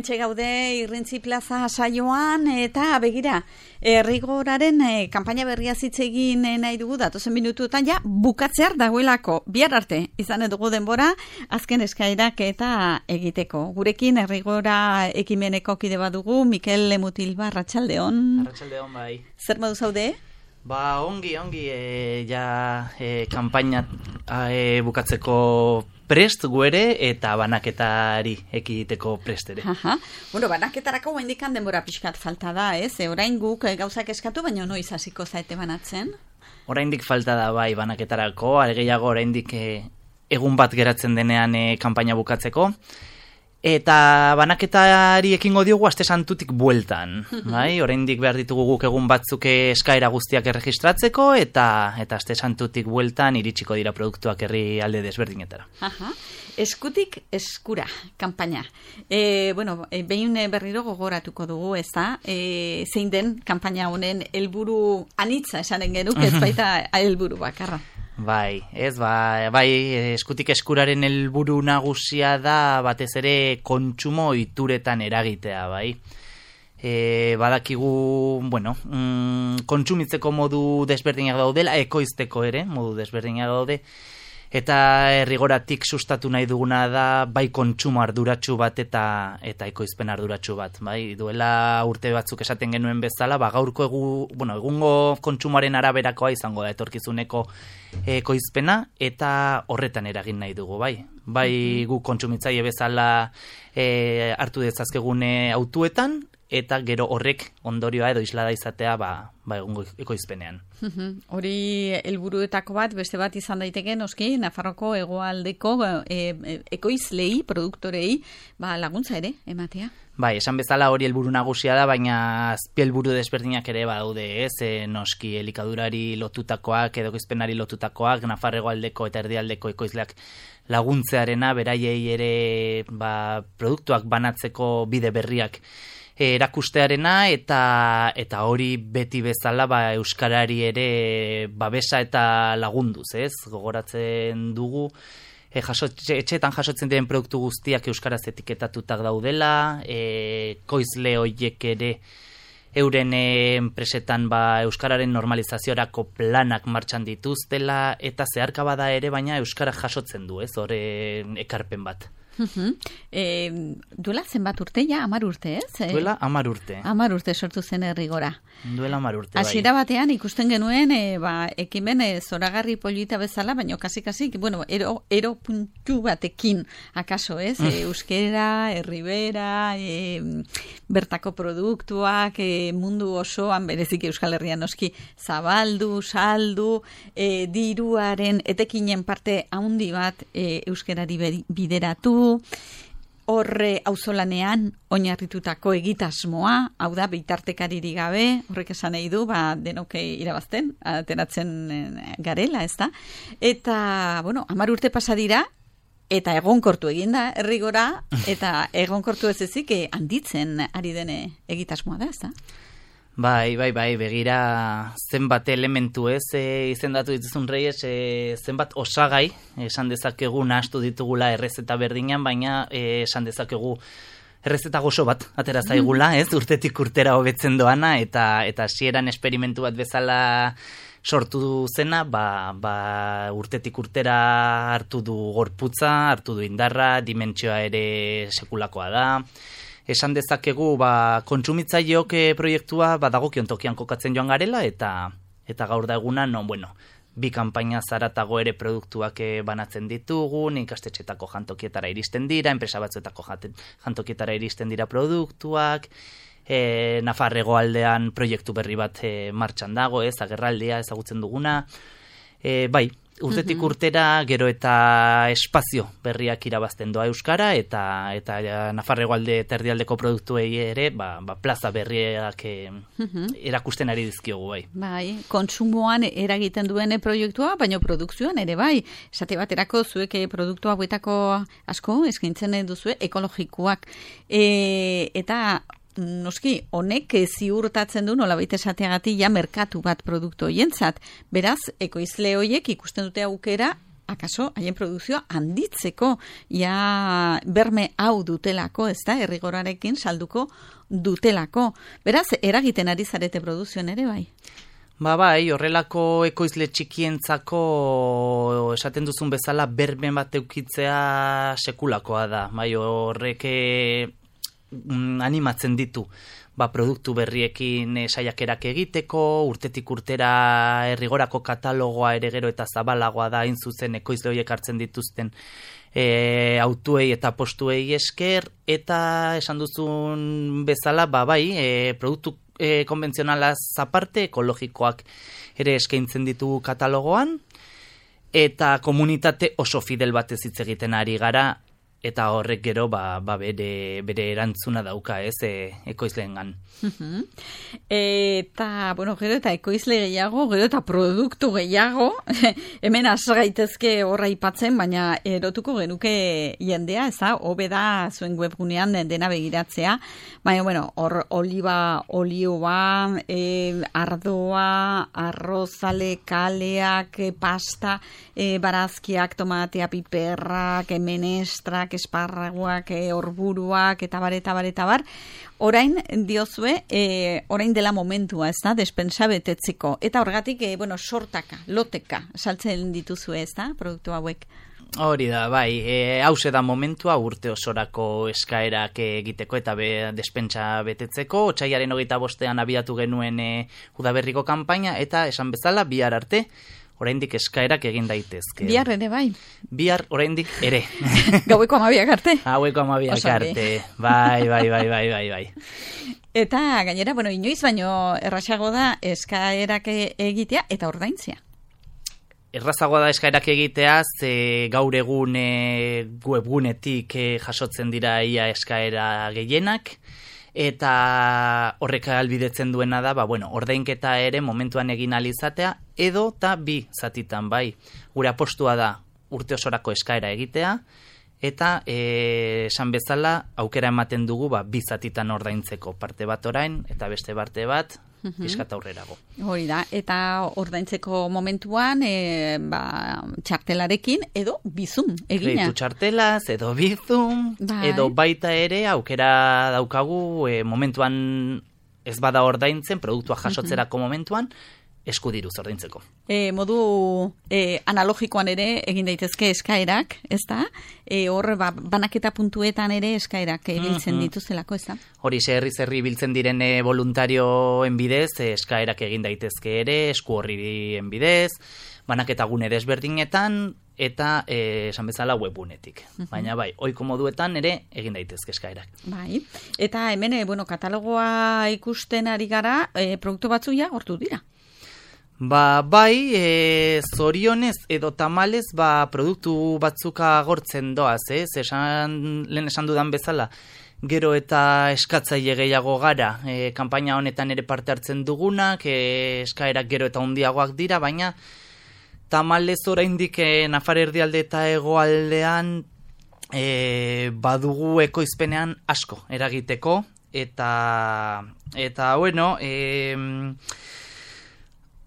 hementxe gaude Irrintzi Plaza saioan, eta begira, Errigoraren kanpaina berria zitzegin nahi dugu, datozen minutuetan ja bukatzear dagoelako, bihar arte izan dugu denbora, azken eskairak eta egiteko. Gurekin Errigora ekimeneko kide badugu, Mikel Lemutilba, arratsaldeon. Arratsaldeon, bai. Zer modu zaude? Ba, ongi, kanpaina bukatzeko prest guere eta banaketari ekiteko prest ere. Bueno, banaketarako oraindik denbora pixkat falta da, ez? Orain guk gauzak eskatu, baina noiz hasiko zaete banatzen? Oraindik falta da bai banaketarako, gehiago oraindik egun bat geratzen denean kanpaina bukatzeko. Eta banaketari ekingo diogu aste santutik bueltan, bai? Oraindik behar ditugu guk egun batzuk eskaera guztiak erregistratzeko eta aste santutik bueltan iritsiko dira produktuak herrialde desberdinetara. Eskutik eskura kanpaina. Behin berriro gogoratuko dugu, ez da? Zein den kanpaina honen helburu anitza esanen genuke, ez baita helburu bakarra. Bai, eskutik eskuraren helburu nagusia da batez ere kontsumo ohituretan eragitea, bai. Badakigu, kontsumitzeko modu desberdinak daudela, ekoizteko ere, modu desberdinak daude, eta Errigoratik sustatu nahi duguna da bai kontsumo arduratsu bat eta ekoizpen arduratsu bat, bai. Duela urte batzuk esaten genuen bezala, gaurko egungo kontsumoaren araberakoa izango da etorkizuneko ekoizpena eta horretan eragin nahi dugu, bai. Bai gu kontsumitzaile bezala hartu dezazkegune autuetan eta gero horrek ondorioa edo islada izatea egungo ekoizpenean. Hori helburuetako bat, beste bat izan daiteke, noski, Nafarroko hegoaldeko ekoizlei, produktorei, laguntza ere, ematea. Bai, esan bezala hori helburu nagusia da, baina azpi helburu desberdinak ere badaude, ez? Noski, elikadurari lotutakoak, edo ekoizpenari lotutakoak, Nafar hegoaldeko eta erdialdeko ekoizleak laguntzearena, beraiei ere produktuak banatzeko bide berriak erakustearena eta hori beti bezala euskarari ere babesa eta lagunduz, ez? Gogoratzen dugu etxeetan jasotzen diren produktu guztiak euskaraz etiketatutak daudela, ekoizle horiek ere euren enpresetan euskararen normalizaziorako planak martxan dituztela eta zeharka bada ere, baina euskara jasotzen du, ez? Hore ekarpen bat. Duela zenbat urte, 10 urte, ez? Duela 10 urte. 10 urte sortu zen Errigora. Duela 10 urte, bai. Hasiera batean ikusten genuen, ekimen zoragarri polita bezala, baina kasi, ero puntu batekin, akaso, ez? Euskera, herribera, bertako produktuak, mundu osoan, berezik Euskal Herrian noski, zabaldu, saldu, diruaren etekinen parte handi bat euskerari bideratu, horre auzolanean oinarritutako egitasmoa, hau da, bitartekaririk gabe, horrek esan nahi du, denok irabazten, ateratzen garela, ez da? Eta, 10 urte pasa dira, eta egonkortu eginda Errigora, eta egonkortu ez ezik handitzen ari dene egitasmoa da, ez da? Bai, begira zenbat elementu ez, izendatu dituzun Reyes, zenbat osagai, esan dezakegu nahastu ditugula errezeta berdinan, baina esan dezakegu errezeta gozo bat atera zaigula, ez, urtetik urtera hobetzen doana, eta hasieran esperimentu bat bezala sortu zena, urtetik urtera hartu du gorputza, hartu du indarra, dimentsioa ere sekulakoa da. Esan dezakegu kontsumitzaileok proiektua dagokion tokian kokatzen joan garela eta gaur da eguna bi kanpaina zaratago ere produktuak banatzen ditugu, ikastetxetako jantokietara iristen dira, enpresa batzuetako jantokietara iristen dira produktuak, Nafar hegoaldean proiektu berri bat martxan dago, ez, agerraldia ezagutzen duguna, urtetik urtera gero eta espazio berriak irabazten doa euskara eta Nafar hegoalde eta erdialdeko produktuei ere plaza berriak erakusten ari dizkiogu, bai. Bai, kontsumoan eragiten duen proiektua, baina produkzioan ere bai. Esate baterako zuek produktu hauetako asko eskaintzen duzue ekologikoak eta noski, honek ziurtatzen du nolabait esateagatik merkatu bat produktu hoientzat. Beraz, ekoizle hoiek ikusten dute aukera akaso haien produkzioa handitzeko, ja berme hau dutelako, ez da, errigorarekin salduko dutelako. Beraz, eragiten ari zarete produzioan ere bai? Bai, horrelako ekoizle txikientzako esaten duzun bezala berben bat eukitzea sekulakoa da. Bai, horrek animatzen ditu. Produktu berriekin saiakerak egiteko, urtetik urtera errigorako katalogoa ere gero eta zabalagoa da, hain zuzen ekoizle horiek hartzen dituzten autuei eta postuei esker, eta esan duzun bezala, bai, produktu konbentzionalaz aparte, ekologikoak ere eskaintzen ditu katalogoan, eta komunitate oso fidel batez hitz egiten ari gara, eta horrek gero bere erantzuna dauka, ekoizleengan. Eta, gero eta ekoizle gehiago, gero eta produktu gehiago, hemen has gaitezke horra aipatzen, baina erotuko genuke jendea, hobe da zuen webgunean dena begiratzea, baina, hor olioa, ardoa, arrozale, kaleak, pasta, barazkiak, tomatea, piperrak, menestrak, esparraguak, orburuak, eta bar. Orain diozue, orain dela momentua, ez da, despensa betetzeko. Eta horregatik, sortaka, loteka, saltzen dituzue, ez da, produktu hauek. Hori da, bai, hause da momentua urte osorako eskaerak egiteko eta despensa betetzeko. Otsailaren 25 abiatu genuen udaberriko kanpaina, eta esan bezala bihar arte, oraindik eskaerak egin daitezke. Bihar ere bai? Bihar oraindik ere. Gaueko 12 arte? Gaueko 12 arte, bai. Eta gainera, inoiz baino errazago da eskaerak egitea eta ordaintzea. Errazagoa da eskaerak egitea, gaur egun webgunetik jasotzen dira ia eskaera gehienak, eta horrek ahalbidetzen duena da, ordainketa ere momentuan egin alizatea, edo eta bi zatitan, bai. Gure apostua da urte osorako eskaera egitea, eta esan bezala aukera ematen dugu bi zatitan ordaintzeko, parte bat orain, eta beste parte bat, pixkat aurrerago. Hori da, eta ordaintzeko momentuan txartelarekin edo bizum egina. Kreitu txartelaz, edo bizum, edo baita ere aukera daukagu momentuan ez bada ordaintzen, produktua jasotzerako momentuan, eskudiruz ordaintzeko. Modu analogikoan ere egin daitezke eskaerak, ez da? Hor banaketa puntuetan ere eskaerak biltzen dituzelako, ez da? Hori, herri biltzen diren voluntarioen bidez, eskaerak egin daitezke ere, esku horrien bidez, banaketa gune desberdinetan, eta esan bezala webgunetik. Baina ohiko moduetan ere egin daitezke eskaerak. Bai, eta hemen, katalogoa ikusten ari gara, produktu batzu ja gortu dira. Zorionez edo tamalez, produktu batzuka agortzen doaz, lehen esan dudan bezala, gero eta eskatzaile gehiago gara, kanpaina honetan ere parte hartzen dugunak, eskaerak gero eta handiagoak dira, baina tamalez oraindik Nafar erdialde eta hegoaldean badugu ekoizpenean asko eragiteko, eta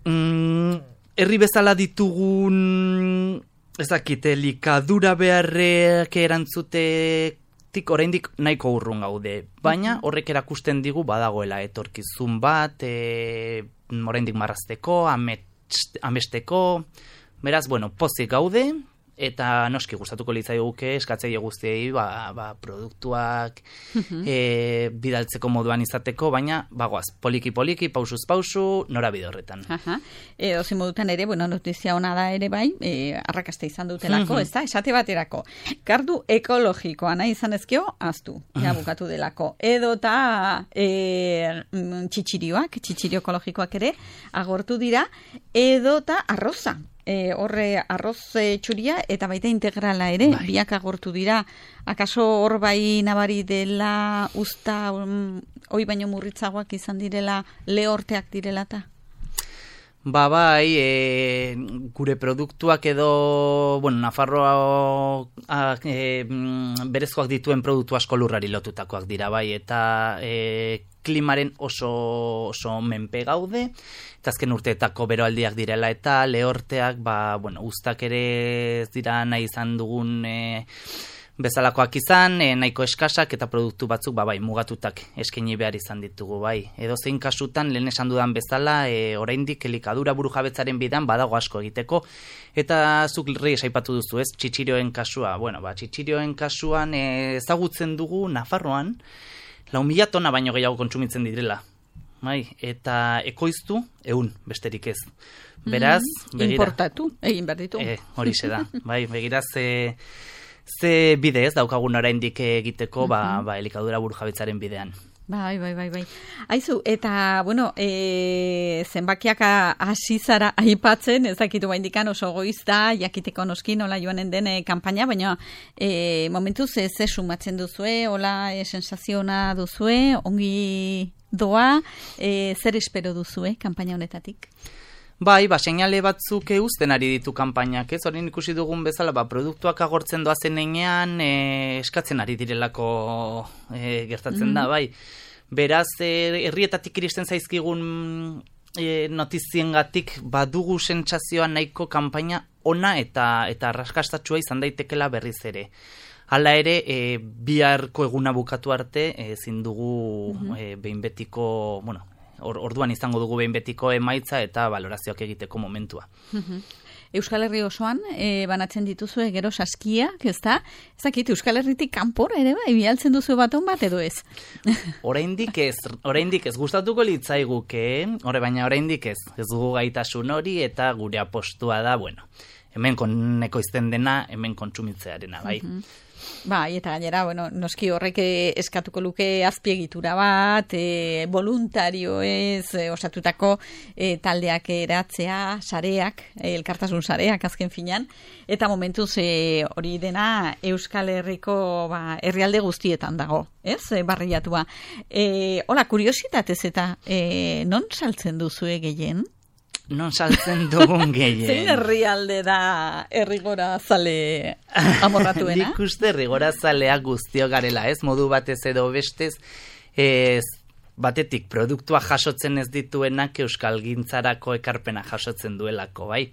herri bezala ditugun likadura beharrek erantzutetik oraindik nahiko urrun gaude, baina horrek erakusten digu badagoela etorkizun bat, oraindik marrazteko, amesteko, beraz, pozik gaude, eta noski gustatuko litzaiguke eskatzaile guztiei produktuak bidaltzeko moduan izateko, baina poliki-poliki, pausuz pausu, norabide horretan. Ozi modutan ere, notizia ona da ere bai, arrakasta izan dutelako, ez da, esate baterako. Kardu ekologikoa nahi izan ezkeo, aztu, bukatu delako. Edo eta txitxirio ekologikoak ere, agortu dira, edo eta arroza. Horre arroz txuria eta baita integrala ere, biak agortu dira. Akaso hor bai nabari dela usta hoi baino murritzagoak izan direla, lehorteak direla eta? Bai, gure produktuak edo, Nafarroa berezkoak dituen produktu asko lurrari lotutakoak dira, bai, eta klimaren oso menpe gaude, eta azken urteetako beroaldiak direla, eta lehorteak, uztak ere ez dira nahi izan dugun bezalakoak izan, nahiko eskasak eta produktu batzuk mugatutak eskaini behar izan ditugu, bai. Edo zein kasutan, lehen esan dudan bezala, oraindik elikadura burujabetzaren bidan badago asko egiteko, eta zuk Reyes aipatu duzu, ez, txitsirioen kasua. Txitsirioen kasuan ezagutzen dugu Nafarroan, 4.000 tona baino gehiago kontsumitzen direla. Bai, eta ekoiztu, 100, besterik ez. Beraz, begira. Importatu, egin behar ditu. Horixe da, bai, begira ze bide ez daukagun oraindik egiteko, elikadura burujabetzaren bidean. Bai. Aizu, eta, zenbakiak hasi zara aipatzen, ez dakitu baindikan oso goizta, jakiteko noski nola joanen den kanpaina, baina momentuz ze sumatzen duzue, hola sensaziona duzue, ongi doa, zer espero duzue kanpaina honetatik? Bai, seinale batzuk uzten ari ditu kanpainak, ez? Orain ikusi dugun bezala, produktuak agortzen doazen heinean, eskatzen ari direlako gertatzen da, bai. Beraz, herrietatik iristen zaizkigun notiziengatik badugu sentsazioa nahiko kanpaina ona eta arrakastatsua izan daitekela berriz ere. Hala ere, biharko eguna bukatu arte, ezin dugu behin betiko, orduan izango dugu behin betiko emaitza eta balorazioak egiteko momentua. Euskal Herri osoan banatzen dituzue gero saskiak, ez da? Ez dakit, Euskal Herritik kanpora ere bialtzen duzu baton bat edo ez? Oraindik ez gustatuko litzaiguke, baina oraindik ez dugu gaitasun hori eta gure apostua da, hemen ekoizten dena, hemen kontsumitzearena, bai. Bai, eta gainera, noski horrek eskatuko luke azpiegitura bat, voluntarioez osatutako taldeak eratzea, sareak, elkartasun sareak azken finan, eta momentuz hori dena Euskal Herriko herrialde guztietan dago, ez, barriatua. Hola, kuriositatez eta non saltzen duzue gehien? Non saltzen dugun gehien. Zein herrialde da herrigora zale amorratuena? Nik uste herrigora zaleak guztio garela, ez? Modu batez edo bestez, batetik produktua jasotzen ez dituenak euskalgintzarako ekarpena jasotzen duelako, bai?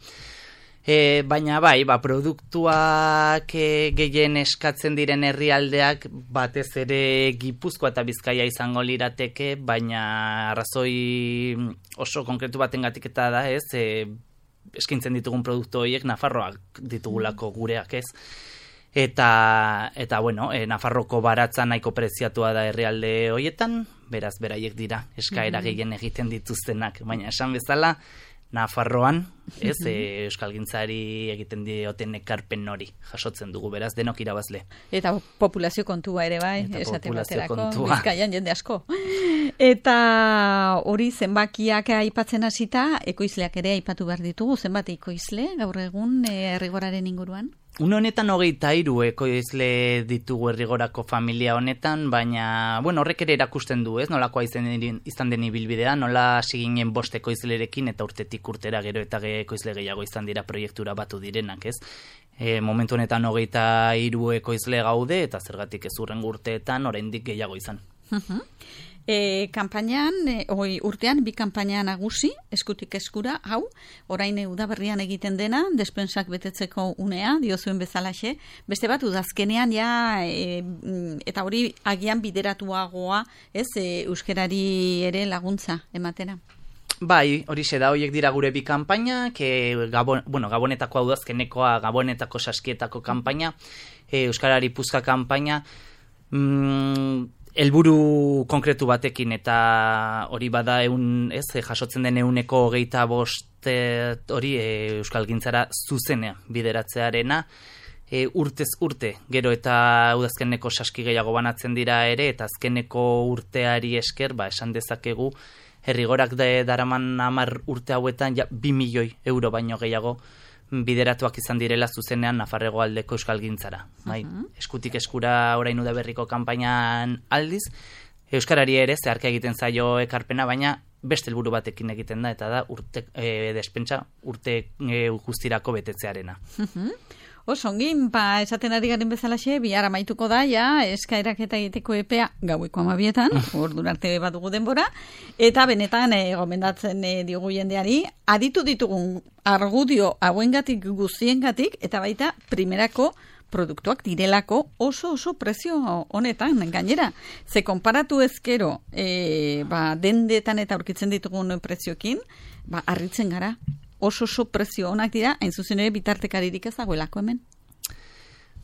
Baina produktuak gehien eskatzen diren herrialdeak batez ere Gipuzkoa eta Bizkaia izango lirateke, baina arrazoi oso konkretu batengatik eta da, ez, eskintzen ditugun produktu horiek Nafarroak ditugulako gureak, ez. Eta Nafarroko baratza nahiko preziatua da herrialde horietan, beraz beraiek dira eskaera gehien egiten dituztenak, baina esan bezala Nafarroan, ez, euskalgintzari egiten dioten ekarpen hori jasotzen dugu, beraz, denok irabazle. Eta populazio kontua ere bai, esate baterako, Bizkaian jende asko. Eta hori zenbakiak aipatzen hasita, ekoizleak ere aipatu behar ditugu, zenbat ekoizle gaur egun herrigoraren inguruan? Une honetan 23 ekoizle ditugu herrigorako familia honetan, baina, horrek ere erakusten du, ez? Nolakoa izan den ibilbidea, nola siginen 5 ekoizlerekin eta urtetik urtera gero eta ekoizle gehiago izan dira proiektura batu direnak, ez? Momentu honetan 23 ekoizle gaude eta zergatik ez hurrengo urteetan oraindik gehiago izan. Kanpainan, urtean, 2 kanpaina nagusi, eskutik eskura, hau, orain udaberrian egiten dena, despensak betetzeko unea, diozuen bezalaxe, beste bat, udazkenean, eta hori agian bideratuagoa, ez, euskerari ere laguntza ematera. Bai, horixe da, horiek dira gure 2 kanpainak, Gabonetako udazkenekoa, Gabonetako saskietako kanpaina, Euskarari Puzka kanpaina, helburu konkretu batekin eta hori bada jasotzen den 125 hori euskalgintzara zuzenea bideratzearena, urtez urte, gero eta udazkeneko saski gehiago banatzen dira ere, eta azkeneko urteari esker, esan dezakegu, herrigorak daraman 10 urte hauetan 2 milioi euro baino gehiago bideratuak izan direla zuzenean Nafarrego aldeko euskalgintzara. Eskutik eskura orain udaberriko kanpainan aldiz, euskarari ere zeharka egiten zaio ekarpena, baina beste helburu batekin egiten da, eta da despentsa urte guztirako betetzearena. Osongin, esaten ari garen bezalaxe, bihar amaituko da, eskaerak eta egiteko epea gaueko 12:00, ordura arte badugu denbora, eta benetan gomendatzen diogu jendeari, aditu ditugun argudio hauengatik guztiengatik, eta baita primerako produktuak direlako oso prezio honetan, gainera. Ze konparatu ezkero, dendetan eta aurkitzen ditugun prezioekin, harritzen gara. Oso prezio honak dira, hain zuzen ere bitartekaririk ez dagoelako hemen.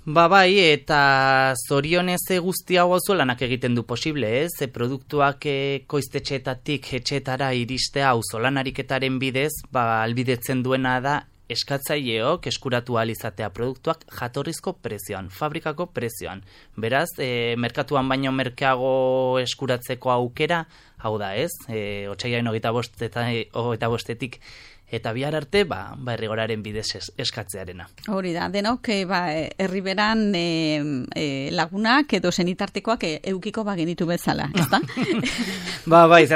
Bai, eta zorionez guzti hau lanak egiten du posible, ez? Produktuak koiztetxeetatik etxetara iristea auzolanariketaren bidez, albidetzen duena da eskatzaileok eskuratu ahal izatea produktuak jatorrizko prezioan, fabrikako prezioan. Beraz, merkatuan baino merkeago eskuratzeko aukera, hau da, ez? Otsaiaren 25-etik eta bihar arte, errigoraren bidez eskatzearena. Hori da, denok, herriberan lagunak edo senitartekoak eukiko genitu bezala, ez da?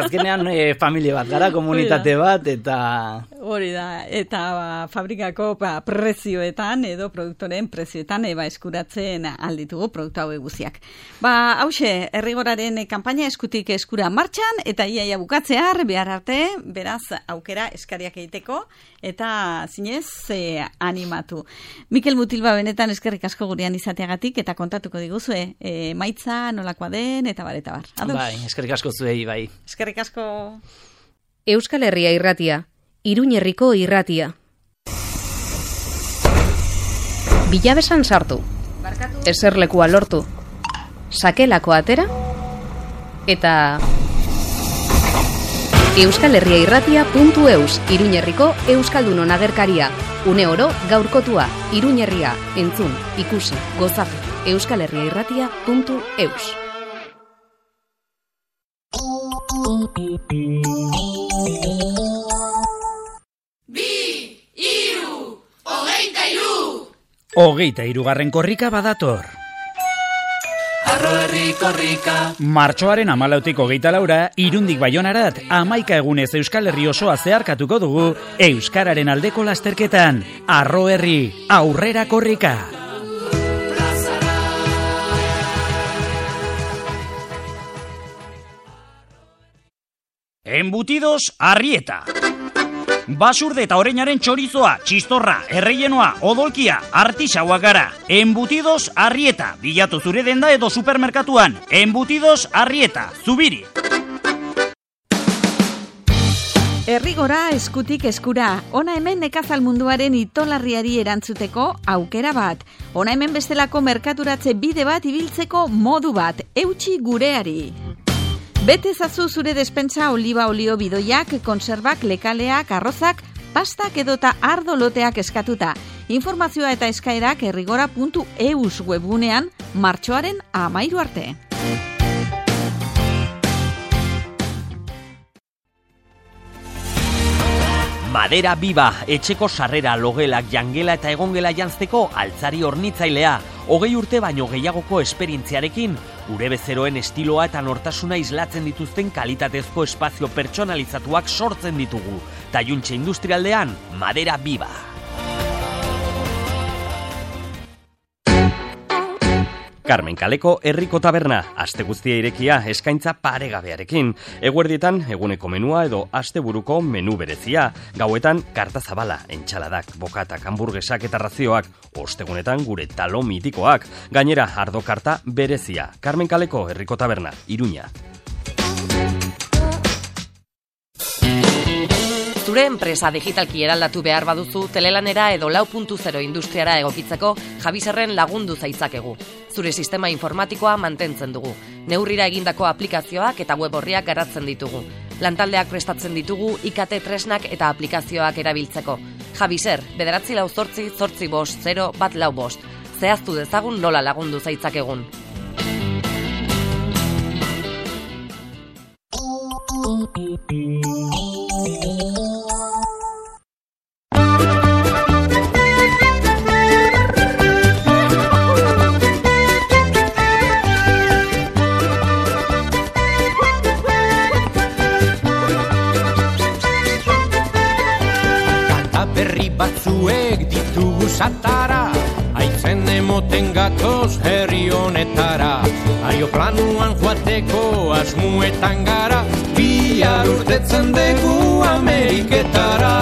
Azkenean familia bat gara, komunitate bat, eta... Hori da, eta fabrikako prezioetan edo produktoren prezioetan eskuratzen alditugu produktu hau guziak. Hauxe, herrigoraren kanpaina eskutik eskura martxan, eta iaia bukatzear, behar arte, beraz, aukera eskariak egiteko, eta zinez animatu. Mikel Mutilba benetan eskerrik asko gurean izateagatik, eta kontatuko diguzue, maitza nolakoa den, eta bar. Eskerrik asko zuei, bai. Eskerrik asko. Euskal Herria irratia, Iruñerriko irratia. Bilabesan sartu, eserlekua lortu, sakelako atera, eta... euskalherriairratia.eus, Iruñerriko Euskaldunon agerkaria. Une oro gaurkotua, Iruñerria, entzun, ikusi, gozatu. euskalherriairratia.eus. Hogeita hirugarren korrika badator. Martxoaren 14tik 24, Irundik Baionarat, 11 egunez Euskal Herri osoa zeharkatuko dugu euskararen aldeko lasterketan. Arro herri, aurrera korrika. Embutidos Arrieta. Basurde eta oreinaren txorizoa, txistorra, erreienoa, odolkia, artisauak gara. Embutidos Arrieta, bilatu zure denda edo supermerkatuan. Embutidos Arrieta, Zubiri. Herrigora eskutik eskura. Ona hemen nekazal munduaren itolarriari erantzuteko aukera bat. Ona hemen bestelako merkaturatze bide bat ibiltzeko modu bat. Eutsi gureari. Bete ezazu zure despentsa oliba olio bidoiak, konserbak, lekaleak, arrozak, pastak edota ardo loteak eskatuta. Informazioa eta eskaerak herrigora.eus webgunean martxoaren 13 arte. Madera Biba, etxeko sarrera, logelak, jangela eta egongela janzteko altzari hornitzailea. 20 urte baino gehiagoko esperientziarekin, gure bezeroen estiloa eta nortasuna islatzen dituzten kalitatezko espazio pertsonalizatuak sortzen ditugu. Taiuntxe industrialdean, Madera Biba. Carmen Kaleko Herriko Taberna, aste guztia irekia, eskaintza paregabearekin. Eguerdietan eguneko menua edo asteburuko menu berezia. Gauetan karta zabala, entxaladak, bokatak, hamburgesak eta razioak. Ostegunetan gure talo mitikoak. Gainera ardo karta berezia. Carmen Kaleko Herriko Taberna, Iruña. Zure enpresa digitalki eraldatu behar baduzu, telelanera edo 4.0 industriara egokitzeko Javiserren lagundu zaitzakegu. Zure sistema informatikoa mantentzen dugu. Neurrira egindako aplikazioak eta web orriak garatzen ditugu. Lantaldeak prestatzen ditugu IKT tresnak eta aplikazioak erabiltzeko. Javiser, 948-850-145. Zehaztu dezagun nola lagundu zaitzakegun. esatara, aitzen emoten gatoz herri honetara. Aeroplanuan joateko asmuetan gara, bihar urtetzen dugu Ameriketara.